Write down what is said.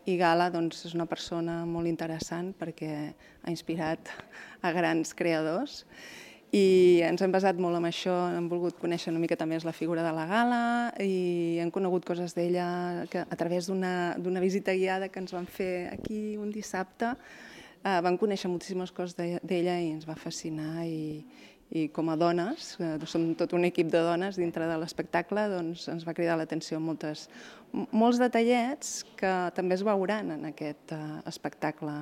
i Gala és una persona molt interessant perquè ha inspirat a grans creadors i ens hem basat molt en això, hem volgut conèixer una miqueta més la figura de la Gala i hem conegut coses d'ella a través d'una visita guiada que ens van fer aquí un dissabte. Vam conèixer moltíssimes coses d'ella i ens va fascinar i com a dones, som tot un equip de dones dintre de l'espectacle, doncs ens va cridar l'atenció molts detallets que també es veuran en aquest espectacle.